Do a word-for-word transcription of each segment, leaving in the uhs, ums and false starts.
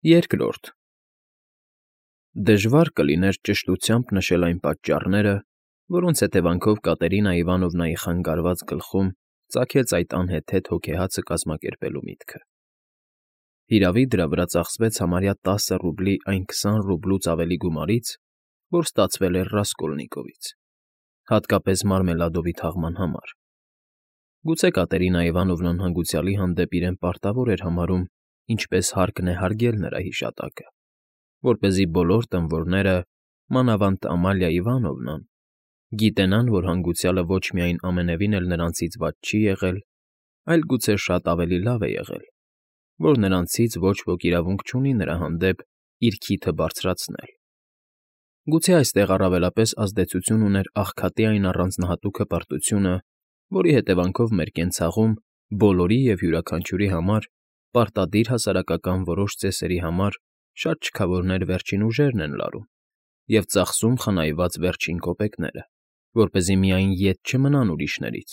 Երկրորդ Դժվար կլիներ ճշտությամբ նշել այն պատճառները, որոնց հետևանքով Կատերինա Իվանովնայի խանգարված գլխում ծագեց այդ անհեթեթ հոգեհացը կազմակերպելու միտքը. հիրավի, դրա վրա ծախսվեց համարյա տասը ռուբլի այն քսան ռուբլուց ավելի գումարից, որ ստացվել էր Ռասկոլնիկովից, հատկապես Մարմելադովի թաղման համար. գուցե Կատերինա Իվանովնան հանգուցյալի հանդեպ իրեն պարտավոր էր համարում ինչպես հարկն է հարգել նրա հիշատակը, որպեսզի բոլոր տմվորները, մանավանդ Ամալիա Իվանովնան, գիտենան, որ հանգուցյալը ոչ միայն ամենևին էլ նրանցից վատ չի եղել, այլ գուցե շատ ավելի լավ է եղել, որ նրանցից ոչ ոք իրավունք չունի նրա հանդեպ իր քիթը բարձրացնել. գուցե այստեղ առավելապես ազդեցություն ուներ աղքատի այն առանձնահատուկ հպարտությունը, որի հետևանքով մեր կենցաղում բոլորի և յուրաքանչյուրի համար պարտադիր հասարակական որոշ ծեսերի համար շատ չքավորներ վերջին ուժերն են լարում և ծախսում խնայված վերջին կոպեկները, որպեսզի միայն ետ չմնան ուրիշներից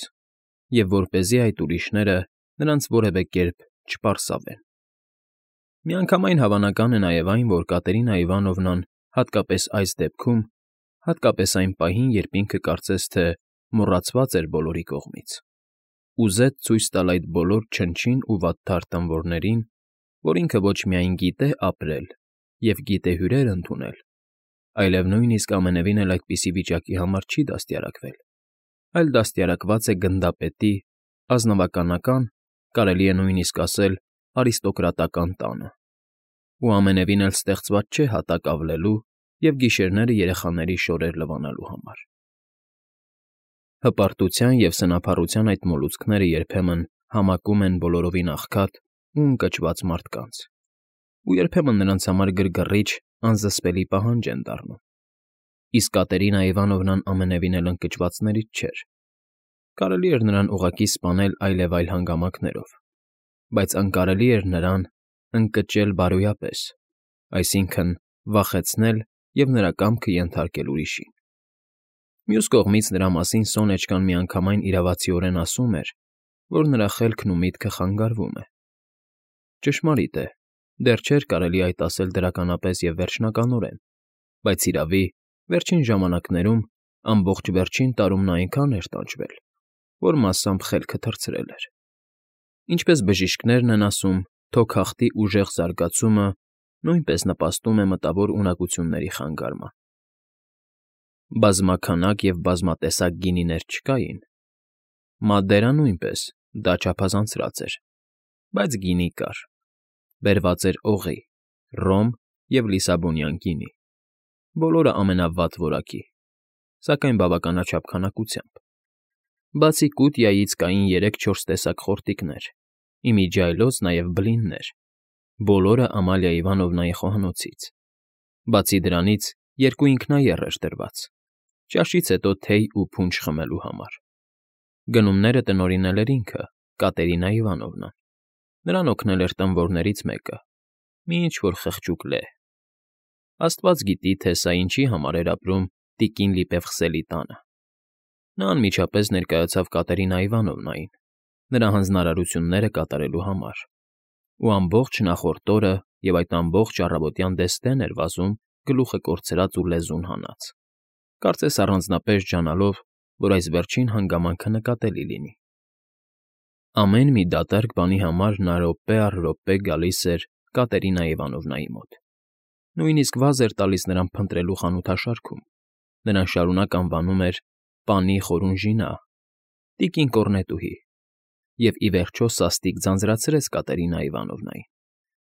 և որպեսզի այդ ուրիշները նրանց որևէ կերպ չպարսավեն։ Միանգամայն հավանական է նաև այն, որ Կատերինա Իվանովնան հատկապես այս դեպքում, հատկապես այն պահին, երբ ինքը կարծես թե մոռացված էր բոլորի կողմից, ուզեց ցույց տալ այդ բոլոր չնչին ու վատթար տմվորներին, որ ինքը ոչ միայն գիտե ապրել և գիտե հյուրեր ընդունել, այլև նույնիսկ ամենևին էլ այդպիսի վիճակի համար չի դաստիարակվել, այլ դաստիարակված է գնդապետի, ազնվականական, կարելի է նույնիսկ ասել արիստոկրատական տանը, ու ամենևին էլ ստեղծված չէ հատակ ավլելու և գիշերները երեխաների շորեր լվանալու համար։ Հպարտության և սնափառության այդ մոլուցքները երբեմն համակում են բոլորովին աղքատ ու ընկճված մարդկանց, ու երբեմն նրանց համար գրգռիչ, անզսպելի պահանջ են դառնում, իսկ Կատերինա Իվանովնան ամենևին էլ ընկճվածներից չէր. կարելի էր նրան ուղղակի սպանել այլևայլ հանգամանքներով, բայց անկարելի էր նրան ընկճել բարոյապես, այսինքն՝ վախեցնել և նրա կամքը ենթարկել ուրիշին։ Մյուս կողմից նրա մասին Սոնեչկան միանգամայն իրավացիորեն ասում էր, որ նրա խելքն ու միտքը խանգարվում է։ Ճշմարիտ է, դեռ չէր կարելի այդ ասել դրականապես և վերջնականորեն, բայց, հիրավի, վերջին ժամանակներում, ամբողջ վերջին տարում նա այնքան էր տանջվել, որ մասամբ խելքը թռցրել էր։ Ինչպես բժիշկներն են ասում, թոքախտի ուժեղ զարգացումը նույնպես նպաստում է մտավոր ունակությունների խանգարման։ Բազմաքանակ և բազմատեսակ գինիներ չկային։ Մադերա նույնպես, դա չափազանցրած էր, բայց գինի կար, բերված էր օղի, ռոմ և լիսաբոնյան գինի, բոլորը ամենավատ որակի, սակայն բավականաչափ քանակությամբ։ Բացի կուտիայից կային երեք֊չորս տեսակ խորտիկներ, ի միջի այլոց նաև բլիններ, բոլորը Ամալիա Իվանովնայի խոհանոցից, բացի դրանից երկու ինքնաեռ էր դրված, ճաշից հետո թեյ ու փունջ խմելու համար։ Գնումները տնօրինել էր ինքը, Կատերինա Իվանովնան, նրան օգնել էր տմվորներից մեկը, մի ինչ֊որ խղճուկ լեհ։ Աստված գիտի, թե սա ինչի համար էր ապրում տիկին Լիպևխսելի տանը։ Նա անմիջապես ներկայացավ Կատերինա Իվանովնային, նրա հանձնարարությունները կատարելու համար, ու ամբողջ նախորդ օրը և այդ ամբողջ առավոտյան դեստեն էր վազում գլուխը կորցրած ու լեզուն հանած, կարծես առանձնապես ջանալով, որ այս վերջին հանգամանքը նկատելի լինի։ Ամեն մի դատարկ բանի համար նա րոպե առ րոպե գալիս էր Կատերինա Իվանովնայի մոտ, նույնիսկ վազ էր տալիս նրան փնտրելու խանութաշարքում, նրան շարունակ անվանում էր պանի Խորունժինա, տիկին կոռնետուհի, և ի վերջո սաստիկ ձանձրացրեց Կատերինա Իվանովնային,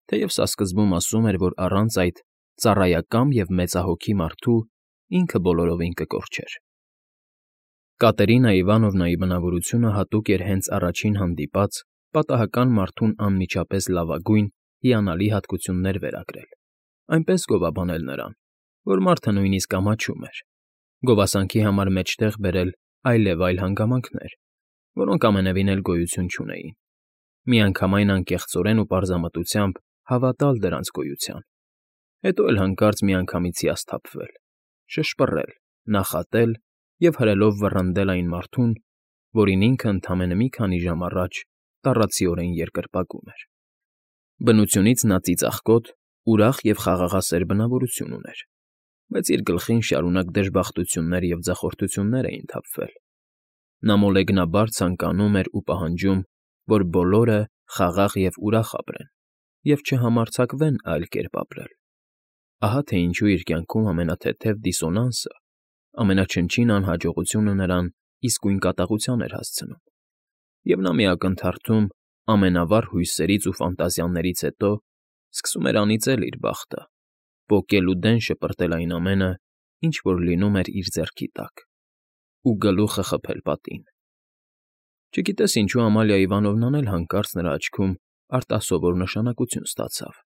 թեև սա սկզբում ասում էր, որ առանց այդ ծառայակամ և մեծահոգի մարդու ինքը բոլորովին կկորչեր։ Կատերինա Իվանովնայի բնավորությունը հատուկ էր հենց առաջին հանդիպած պատահական մարդուն անմիջապես լավագույն, հիանալի հատկություններ վերագրել, այնպես գովաբանել նրան, որ մարդը նույնիսկ ամաչում էր, գովասանքի համար մեջտեղ բերել այլևայլ հանգամանքներ, որոնք ամենևին էլ գոյություն չունեին, միանգամայն անկեղծորեն ու պարզամտությամբ հավատալ դրանց գոյության, հետո էլ հանկարծ միանգամից հիասթափվել, շշպռել, նախատել և հրելով վռնդել այն մարդուն, որին ինքը ընդամենը մի քանի ժամ առաջ տառացիորեն երկրպագում էր։ Բնությունից նա ծիծաղկոտ Ուրախ և խաղաղասեր բնավորություն ուներ, բայց իր գլխին շարունակ դժբախտություններ և ձախորդություններ էին թափվել. նա մոլեգնաբար ցանկանում էր ու պահանջում, որ բոլորը խաղաղ և ուրախ ապրեն և չհամարձակվեն այլ կերպ ապրել. ահա թե ինչու իր կյանքում ամենաթեթև դիսոնանսը, ամենաչնչին անհաջողությունը նրան իսկույն կատաղության էր հասցնում, և նա մի ակնթարթում ամենավառ հույսերից ու ֆանտազիաներից հետո սկսում էր անիծել իր բախտը, պոկել ու դեն շպրտել այն ամենը, ինչ որ լինում էր իր ձեռքի տակ, ու գլուխը խփել պատին։ Չգիտես ինչու Ամալիա Իվանովնան էլ հանկարծ նրա աչքում արտասովոր նշանակություն ստացավ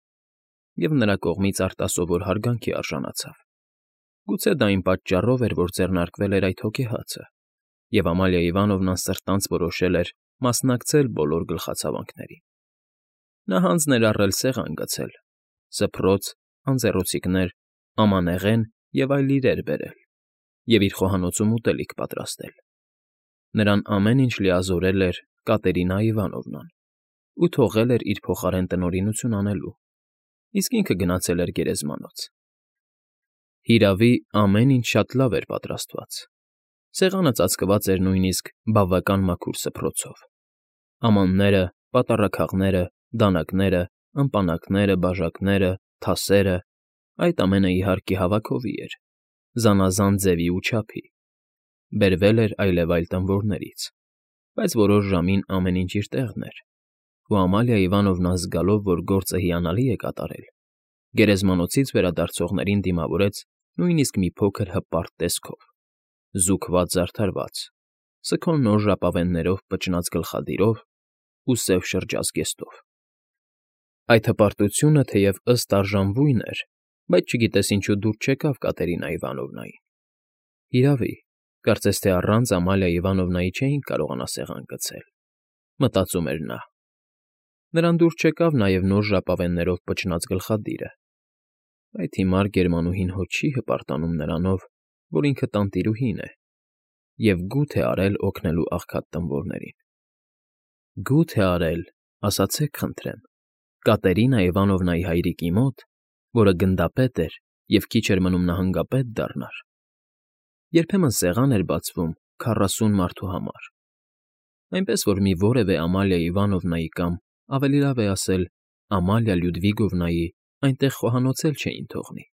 և նրա կողմից արտասովոր հարգանքի արժանացավ։ Գուցե դա այն պատճառով էր, որ ձեռնարկվել էր այդ հոգեհացը, և Ամալիա Իվանովնան սրտանց որոշել էր մասնակցել բոլոր գլխացավանքներին։ Նա հանձ ներառել սեղան գցել, սփռոց, անձեռոցիկներ, ամանեղեն և այլ իրեր բերել և իր խոհանոցում ուտելիք պատրաստել։ Նրան ամեն ինչ լիազորել էր Կատերինա Իվանովնան ու թողել էր իր փոխարեն տնօրինություն անելու, իսկ ինքը գնացել էր գերեզմանոց։ Հիրավի, ամեն ինչ շատ լավ էր պատրաստված. սեղանը ծածկված էր նույնիսկ բավական մաքուր սփռոցով։ Ամանները, պատառաքաղները, դանակները, ըմպանակները, բաժակները, թասերը, այդ ամենը, իհարկե, հավաքովի էր, զանազան ձևի ու չափի, բերվել էր այլևայլ տނվորներից, բայց որոշ ժամին ամեն ինչ իր տեղն էր, ու Ամալիա Իվանովնան զգալով, որ գործը հիանալի է կատարել, գերեզմանոցից վերադարձողներին դիմավորեց նույնիսկ մի փոքր հպարտ տեսքով, զուգված֊զարդարված, սքո նոր ժապավեններով պճնած գլխադիրով ու սև շրջազգեստով։ Այդ հպարտությունը թեև ըստ արժանվույն էր, բայց չգիտես ինչու դուր չեկավ Կատերինա Իվանովնային։ Հիրավի, կարծես թե առանց Ամալիա Իվանովնայի չէին կարողանա սեղան գցել, մտածում էր նա։ Նրան դուր չեկավ նաև նոր ժապավեններով պճնած գլխադիրը, այդ հիմար գերմանուհին հո չի հպարտանում նրանով, որ ինքը տանտիրուհին է, և գութ է արել օգնելու աղքատ տնվորներին։ Գութ է արել, ասացեք խնդրեմ, Կատերինա Իվանովնայի հայրիկի մոտ, որը գնդապետ էր և քիչ էր մնում նահանգապետ դառնար։ Երբեմն սեղան էր բացվում քառասուն մարդու համար, այնպես որ մի որևէ Ամալիա Իվանովնայի կամ, ավելի լավ է ասել, Ամալիա Լյուդվիգովնայի այնտեղ խոհանոցել չէին թողնի։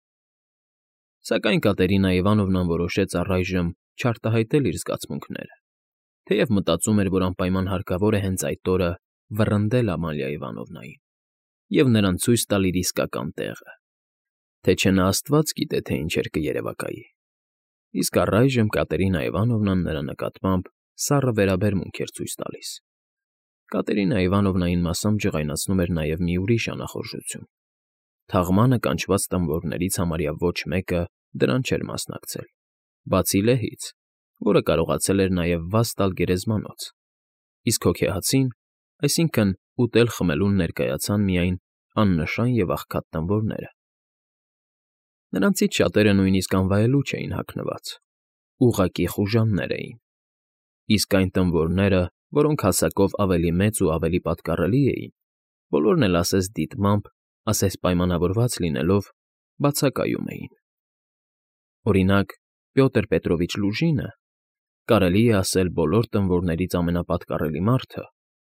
Սակայն Կատերինա Իվանովնան որոշեց առայժմ չարտահայտել իր զգացմունքները, թեև մտածում էր, որ անպայման հարկավոր է հենց այդ օրը վռնդել Ամալիա Իվանովնային և նրան ցույց տալ իր իսկական տեղը, թե չէ նա աստված գիտե, թե ինչեր կերևակայի։ Իսկ առայժմ Կատերինա Իվանովնան նրա նկատմամբ սառը վերաբերմունք էր ցույց տալիս։ Կատերինա Իվանովնային մասամբ ջղայնացնում էր նաև մի ուրիշ անախորժություն. թաղմանը կանչված տնվորներից համարյա ոչ մեկը դրան չէր մասնակցել, բացի Լեհից, որը կարողացել էր նաև վազ տալ գերեզմանոց, իսկ հոգեհացին, այսինքն՝ ուտել֊խմելուն ներկայացան միայն աննշան և աղքատ տնվորները։ Նրանցից շատերը նույնիսկ անվայելուչ էին հագնված, ուղղակի խուժաններ էին, իսկ այն տնվորները, որոնք հասակով ավելի մեծ ու ավելի պատկառելի էին, բոլորն էլ ասես դիտմամբ, ասես պայմանավորված լինելով, բացակայում էին։ Օրինակ, Պյոտր Պետրովիչ Լուժինը, կարելի է ասել բոլոր տնվորներից ամենապատկառելի մարդը,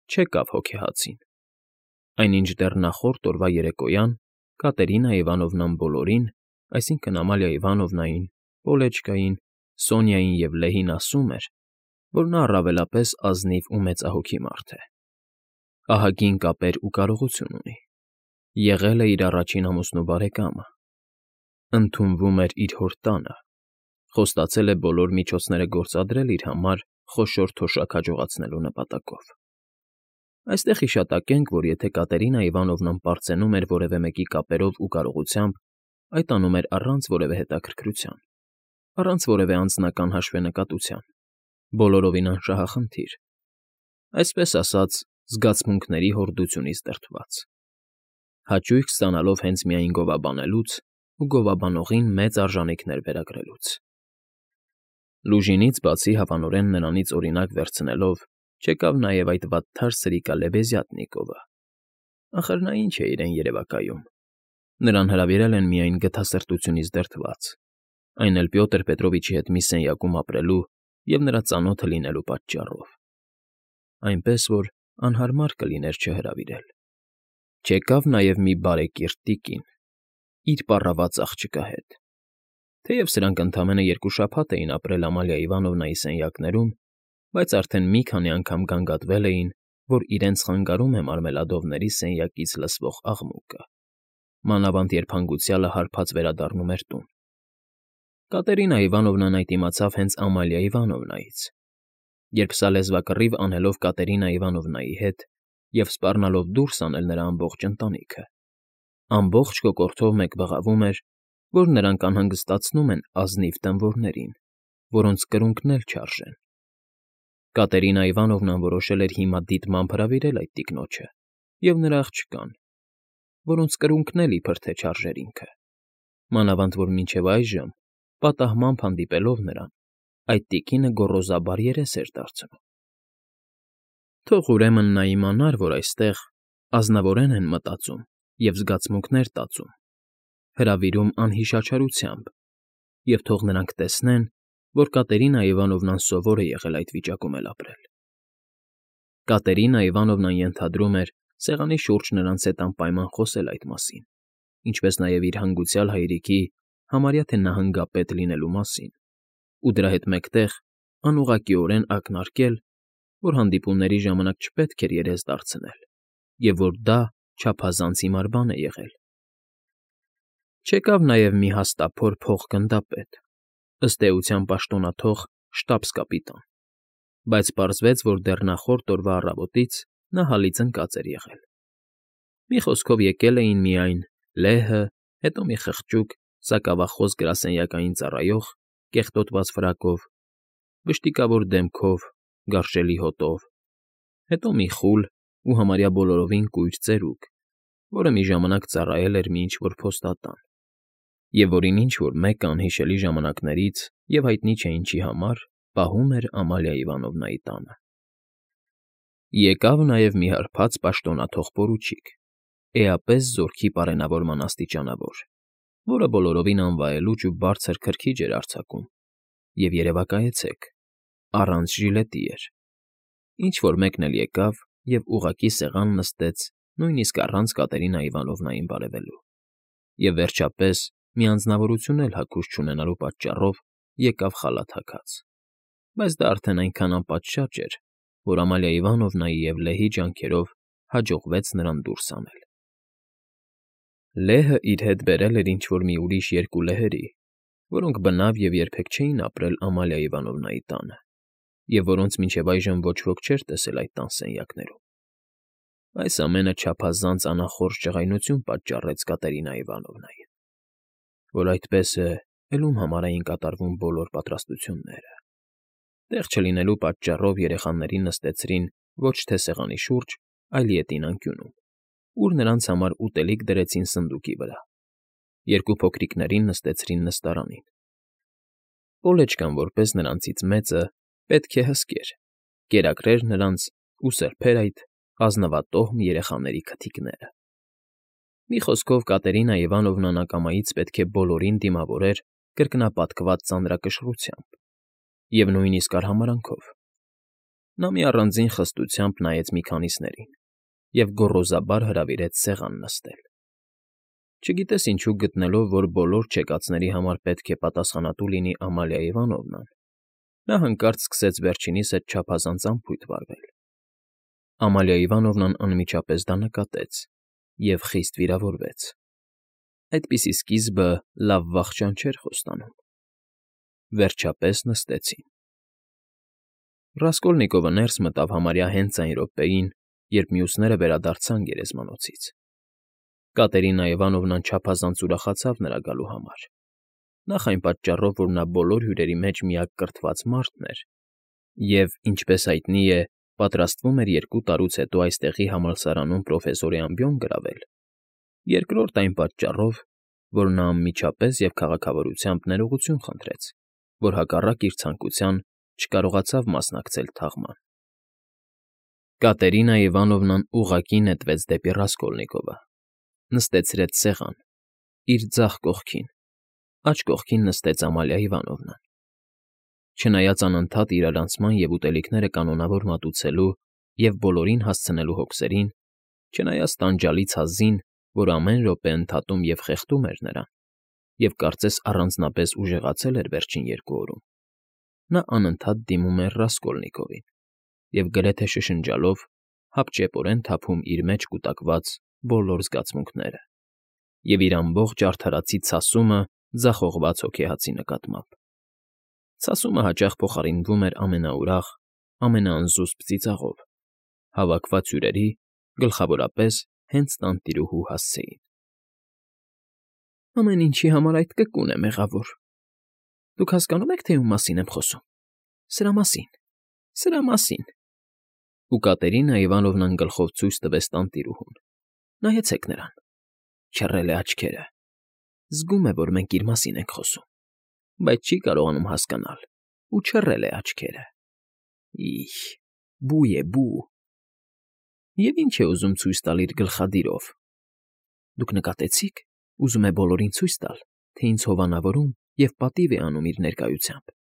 չեկավ հոգեհացին, այնինչ դեռ նախորդ օրվա երեկոյան Կատերինա Իվանովնան բոլորին, այսինքն՝ Ամալիա Իվանովնային, Օլեջկային, Սոնյային և Լեհին ասում էր, որ նա առավելապես ազնիվ ու մեծահոգի մարդ է, ահագին կապեր ու կարողություն ունի, եղել է իր առաջին ամուսնու բարեկամը, ընդունվում էր իր հոր տանը, խոստացել է բոլոր միջոցները գործադրել իր համար խոշոր թոշակ հաջողացնելու նպատակով։ Այստեղ հիշատակենք, որ եթե Կատերինա Իվանովնան պարծենում էր որևէ մեկի կապերով ու կարողությամբ, այդ անում էր առանց որևէ հետաքրքրության, առանց որևէ անձնական հաշվենկատության, բոլորովին անշահախնդիր, այսպես ասած, զգացմունքների հորդությունից դրդված, հաճույք ստանալով հենց միայն գովաբանելուց ու գովաբանողին մեծ արժանիքներ վերագրելուց։ Լուժինից բացի հավանորեն նրանից օրինակ վերցնելով, չեկավ նաև այդ վատթար սրիկա Լեբեզյատնիկովը։ Ախր նա ի՞նչ է իրեն երևակայում։ Նրան հրավիրել են միայն գթասրտությունից դրդված, այն էլ Պյոտր Պետրովիչի հետ մի սենյակում ապրելու և նրա ծանոթը լինելու պատճառով, այնպես որ անհարմար կլիներ չհրավիրել։ Չեկավ նաև մի բարեկիրթ տիկին, իր պառաված աղջկա հետ։ Թեև սրանք ընդամենը երկու շաբաթ էին ապրել Ամալիա Իվանովնայի սենյակներում, բայց արդեն մի քանի անգամ գանգատվել էին, որ իրենց խանգարում է մարմելադովների սենյակից լսվող աղմուկը, մանավանդ երբ հանգուցյալը հարբած վերադառնում էր տուն։ Կատերինա Իվանովնան այդ իմացավ հենց Ամալիա Իվանովնայից, երբ սա լեզվակռիվ անելով Կատերինա Իվանովնայի հետ և սպառնալով դուրս անել նրա ամբողջ ընտանիքը, ամբողջ կոկորդով մեկ բղավում էր, որ նրանք անհանգստացնում են ազնիվ տանվորներին, որոնց կրունկն էլ չարժեն։ Կատերինա Իվանովնան որոշել էր հիմա դիտմամբ հրավիրել այդ տիկնոջը և նրա աղջկան, որոնց կրունկն էլ իբր թե չարժեր ինքը, մանավանդ որ մինչև այժմ, պատահմամբ հանդիպելով նրան, այդ տիկինը գոռոզաբար երես էր դարձնում։ Թող ուրեմն նա իմանար, որ այստեղ ազնվորեն են մտածում և զգացմունքներ տածում, հրավիրում անհիշաչարությամբ, և թող նրանք տեսնեն, որ Կատերինա Իվանովնան սովոր է եղել այդ վիճակում էլ ապրել։ Կատերինա Իվանովնան ենթադրում էր սեղանի շուրջ նրանց հետ անպայման խոսել այդ մասին, ինչպես նաև իր հանգուցյալ հայրիկի համարյա թե նահանգապետ լինելու մասին, ու դրա հետ մեկտեղ անուղղակիորեն ակնարկել, որ հանդիպումների ժամանակ չպետք էր երես դարձնել և որ դա չափազանց հիմար բան է եղել։ Չեկավ նաև մի հաստափոր փոխգնդապետ, ըստ էության պաշտոնաթող շտաբս֊կապիտան, բայց պարզվեց, որ դեռ նախորդ օրվա առավոտից նա հալից ընկած էր եղել։ Մի խոսքով եկել էին միայն լեհը, հետո մի խղճուկ, սակավախոս գրասենյակային ծառայող կեղտոտված ֆրակով, վշտիկավոր դեմքով, գարշելի հոտով, հետո մի խուլ ու համարյա բոլորովին կույր ծերուկ, որը մի ժամանակ ծառայել էր մի ինչ֊որ փոստատան, և որին ինչ֊որ մեկը անհիշելի ժամանակներից և հայտնի չէ ինչի համար պահում էր Ամալիա Իվանովնայի տանը։ Եկավ նաև մի հարբած պաշտոնաթող պորուչիկ, էապես զորքի պարենավորման աստիճանավոր, որը բոլորովին անվայելուչ ու բարձր քրքիջ էր արձակում, և երևակայեցեք, առանց ժիլետի էր։ Ինչ֊որ մեկն էլ եկավ և ուղղակի սեղան նստեց նույնիսկ առանց Կատերինա Իվանովնային բարևելու, և վերջապես մի անձնավորություն էլ հագուստ չունենալու պատճառով եկավ խալաթ հագած, բայց դա արդեն այնքան անպատշաճ էր, որ Ամալիա Իվանովնայի և լեհի ջանքերով հաջողվեց նրան դուրս անել։ Լեհը իր հետ բերել էր ինչ֊որ մի ուրիշ երկու լեհերի, որոնք բնավ և երբեք չէին ապրել Ամալիա Իվանովնայի տանը, և որոնց մինչև այժմ ոչ ոք չէր տեսել այդ տան սենյակներում։ Այս ամենը չափազանց անախորժ ջղայնություն պատճառեց Կատերինա Իվանովնային, որ այդպես է, էլ ում համար էին կատարվում բոլոր պատրաստությունները։ Տեղ չլինելու պատճառով երեխաներին նստեցրին ոչ թե սեղանի շուրջ, այլ ետին անկյունում, ուր նրանց համար ուտելիք դրեցին սնդուկի վրա, երկու փոքրիկներին նստեցրին նստարանին։ Պոլեչկան, որպես նրանցից մեծը, պետք է հսկեր, կերակրեր նրանց ու սրբեր այդ ազնվատոհմ երեխաների քթիկները։ Մի խոսքով Կատերինա Իվանովնան ակամայից պետք է բոլորին դիմավորեր կրկնապատկված ծանրակշռությամբ և նույնիսկ արհամարհանքով։ Նա մի առանձին խստությամբ նայեց մի քանիսներին և գոռոզաբար հրավիրեց սեղան նստել։ Չգիտես ինչու գտնելով, որ բոլոր չեկածների համար պետք է պատասխանատու լինի Ամալիա Իվանովնան, նա հանկարծ սկսեց վերջինիս հետ չափազանց անփույթ վարվել։ Ամալիա Իվանովնան անմիջապես դա նկատեց և խիստ վիրավորվեց։ Այդպիսի սկիզբը լավ վախճան չէր խոստանում։ Վերջապես նստեցին։ Ռասկոլնիկովը ներս մտավ համարյա հենց այն րոպեին, երբ մյուսները վերադարձան գերեզմանոցից։ Կատերինա Իվանովնան չափազանց ուրախացավ նրա գալու համար, նախ այն պատճառով, որ նա բոլոր հյուրերի մեջ միակ կրթված մարդն էր և, ինչպես հայտնի է, պատրաստվում էր երկու տարուց հետո այստեղի համալսարանում պրոֆեսորի ամբիոն գրավել, երկրորդ այն պատճառով, որ նա անմիջապես և քաղաքավարությամբ ներողություն խնդրեց, որ հակառակ իր ցանկության չկարողացավ մասնակցել թաղման։ Կատերինա Իվանովնան ուղղակի նետվեց դեպի Ռասկոլնիկովը, նստեցրեց սեղան իր ձախ կողքին, աջ կողքին նստեց Ամալիա Իվանովնան։ Չնայած անընդհատ իրարանցման և ուտելիքները կանոնավոր մատուցելու և բոլորին հասցնելու հոգսերին, չնայած տանջալից հազին, որ ամեն րոպե ընդհատում և խեղդում էր նրան, և կարծես առանձնապես ուժեղացել էր վերջին երկու օրում, նա անընդհատ դիմում էր Ռասկոլնիկովին և գրեթե շշնջալով հապճեպորեն թափում իր մեջ կուտակված բոլոր զգացմունքները և իր ամբողջ արդարացի ցասումը ձախողված հոգեհացի նկատմամբ։ Ցասումը հաճախ փոխարինվում էր ամենաուրախ, ամենաանզուսպ ծիծաղով, հավաքված հյուրերի, գլխավորապես հենց տանտիրուհու հասցեին։ Ամեն ինչի համար այդ կկուն է մեղավոր։ Դուք հասկանո՞ւմ եք, թե ում մասին եմ խոսում։ Սրա մասին, սրա մասին… Ու Կատերինա Իվանովնան գլխով ցույց տվեց տանտիրուհուն։ Նայեցեք նրան… Չռել է աչքերը… Զգում է, որ մենք իր մասին ենք խոսում, բայց չի կարողանում հասկանալ ու չռել է աչքերը… Ի՜հ… Բու է, բու… Եվ ի՞նչ է ուզում ցույց տալ իր գլխադիրով… Դուք նկատեցի՞ք, ուզում է բոլորին ցույց տալ, թե ինձ հովանավորում և պատիվ է անում իր ներկայությամբ…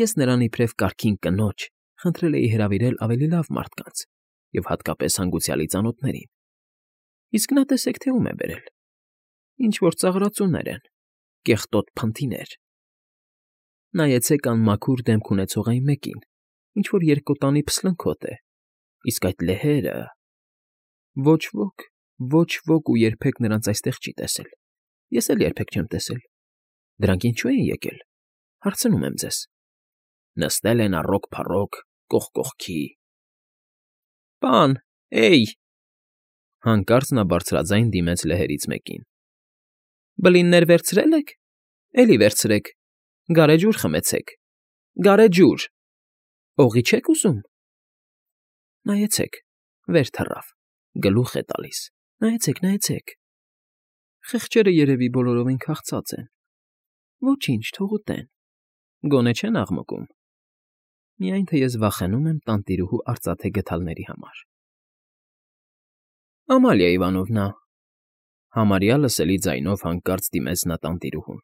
Ես նրան իբրև կարգին կնոջ խնդրել էի հրավիրել ավելի լավ մարդկանց և հատկապես հանգուցյալի ծանոթներին, իսկ նա տեսեք, թե ում է բերել… Ինչ֊որ ծաղրածուներ են, կեղտոտ փնթիներ… Նայեցեք անմաքուր դեմք ունեցող այն մեկին, ինչ֊որ երկկոտանի փսլնքոտ է, իսկ այդ լեհերը… Ոչ ոք, ոչ ոք ու երբեք նրանց այստեղ չի տեսել, ես էլ երբեք չեմ տեսել… Դրանք ինչո՞ւ են եկել, հարցնում եմ ձեզ… Նստել են առոք֊փառոք, կողք կողքի… Պա՜ն, է՜յ… Հանկարծ նա բարձրաձայն դիմեց լեհերից մեկին։ Բլիններ վերցրե՞լ եք, էլի վերցրեք, գարեջուր խմեցեք, գարեջուր… Օղի չե՞ք ուզում… Նայեցեք, վեր թռավ, գլուխ է տալիս, նայեցեք, նայեցեք… Խեղճերը երևի բոլորովին քաղցած են… Ոչինչ, թող ուտեն, գոնե չեն աղմկում… Միայն թե ես վախենում եմ տանտիրուհու արծաթե գդալների համար… Ամալիա Իվանովնա… Համարյա լսելի ձայնով հանկարծ դիմեց նա տանտիրուհուն…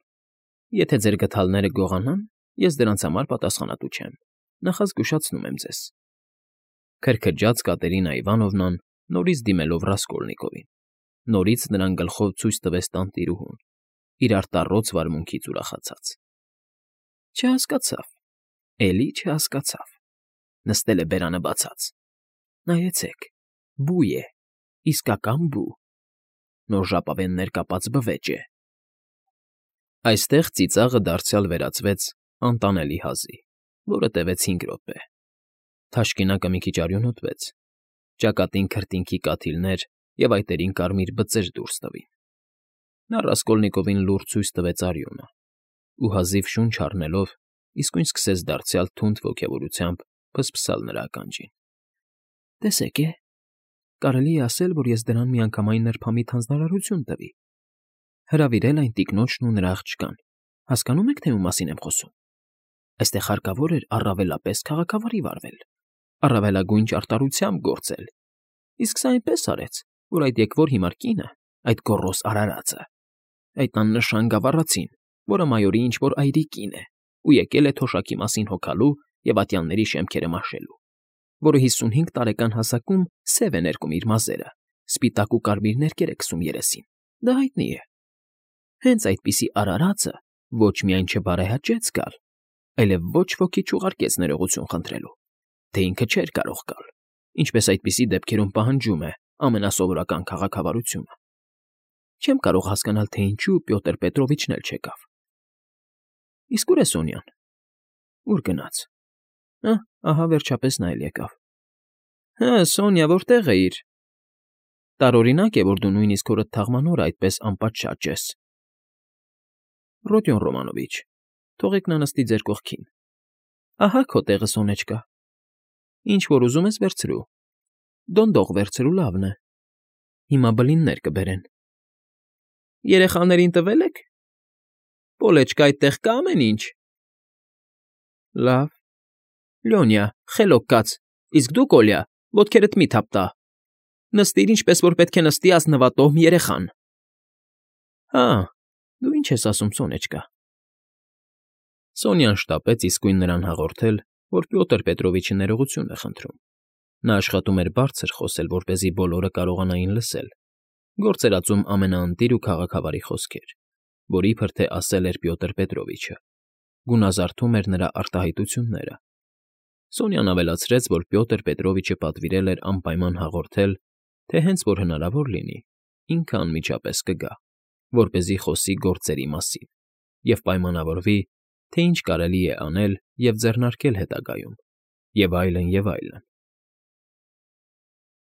Եթե ձեր գդալները գողանան, ես դրանց համար պատասխանատու չեմ, նախազգուշացնում եմ ձեզ… Քրքրջաց Կատերինա Իվանովնան, նորից դիմելով Ռասկոլնիկովին, նորից նրան գլխով ցույց տվեց տանտիրուհուն, իր արտառոց վարմունքից ուրախացած… Չհասկացավ, էլի չհասկացավ… Նստել է բերանը բացած… Նայեցեք, բու է, իսկական բու… Նոր ժապավեններ կապած բվեճ է… Այստեղ ծիծաղը դարձյալ վերածվեց անտանելի հազի, որը տևեց հինգ րոպե… Թաշկինակը մի քիչ արյունոտվեց, ճակատին քրտինքի կաթիլներ և այտերին կարմիր բծեր դուրս տվին… Նա Ռասկոլնիկովին լուռ ցույց տվեց արյունը ու, հազիվ շունչ առնելով, իսկույն սկսեց դարձյալ թունդ ոգևորությամբ ֆսֆսալ նրա ականջին… Տեսեք է, կարելի է ասել, որ ես դրան միանգամայն նրբամիտ հանձնարարություն տվի… Հրավիրել այն տիկնոջն ու նրա աղջկան… Հասկանո՞ւմ եք, թե ում մասին եմ խոսում… Այստեղ հարկավոր էր առավելապես քաղաքավարի վարվել, առավելագույն ճարտարությամբ գործել… Իսկ սա այնպես արեց, որ այդ եկվոր հիմար կինը, այդ գոռոզ արարածը, այդ աննշան գավառացին, որը մայորի ինչ֊որ այրի կին է ու եկել է թոշակի մասին հոգալու և ատյանների շեմքերը մաշելու, որը հիսունհինգ տարեկան հասակում սև է ներկում իր մազերը, սպիտակ ու կարմիր ներկեր է քսում երեսին, դա հայտնի է… Հենց այդպիսի արարածը ոչ միայն չբարեհաճեց գալ, այլև ոչ ոքի չուղարկեց ներողություն խնդրելու, թե ինքը չէր կարող գալ, ինչպես այդպիսի դեպքերում պահանջում է ամենասովորական քաղաքավարությունը… Չեմ կարող հասկանալ, թե ինչու Պյոտր Պետրովիչն էլ չեկավ… Իսկ ո՞ւր է Սոնյան… Ո՞ւր գնաց… Ա֊ա, ահա վերջապես նա էլ եկավ… Հը, Սոնյա, որտե՞ղ էիր… Տարօրինակ է, որ դու նույնիսկ հորդ թաղման օրը այդպես անպատշաճ ես… Ռոդիոն Ռոմանովիչ, թողեք նա նստի ձեր կողքին… Ահա քո տեղը, Սոնեչկա… Ինչ որ ուզում ես վերցրու… Դոնդող վերցրու, լավն է… Հիմա բլիններ կբերեն… Երեխաներին տվե՞լ եք… Պոլեչկա, այդտեղ կա՞ ամեն ինչ… Լավ… Լյոնյա, խելոք կաց, իսկ դու, Կոլյա, ոտքերդ մի՛ թափտա… Նստիր, ինչպես որ պետք է նստի ազնվատոհմ երեխան… Հա, դու ինչ ես ասում, Սոնեչկա… Սոնյան շտապեց իսկույն նրան հաղորդել, որ Պյոտր Պետրովիչը ներողություն է խնդրում. նա աշխատում էր բարձր խոսել, որպեսզի բոլորը կարողանային լսել, գործ էր ածում ամենաընտիր ու քաղաքավարի խոսքեր, որ իբր թե ասել էր Պյոտր Պետրովիչը, գունազարդում էր նրա արտահայտությունները։ Սոնյան ավելացրեց, որ Պյոտր Պետրովիչը պատվիրել էր անպայման հաղորդել, թե հենց որ հնարավոր լինի, ինքը անմիջապես կգա, որպեսզի խոսի գործերի մասին և պայմանավորվի, թե ինչ կարելի է անել և ձեռնարկել հետագայում, և այլն, և այլն։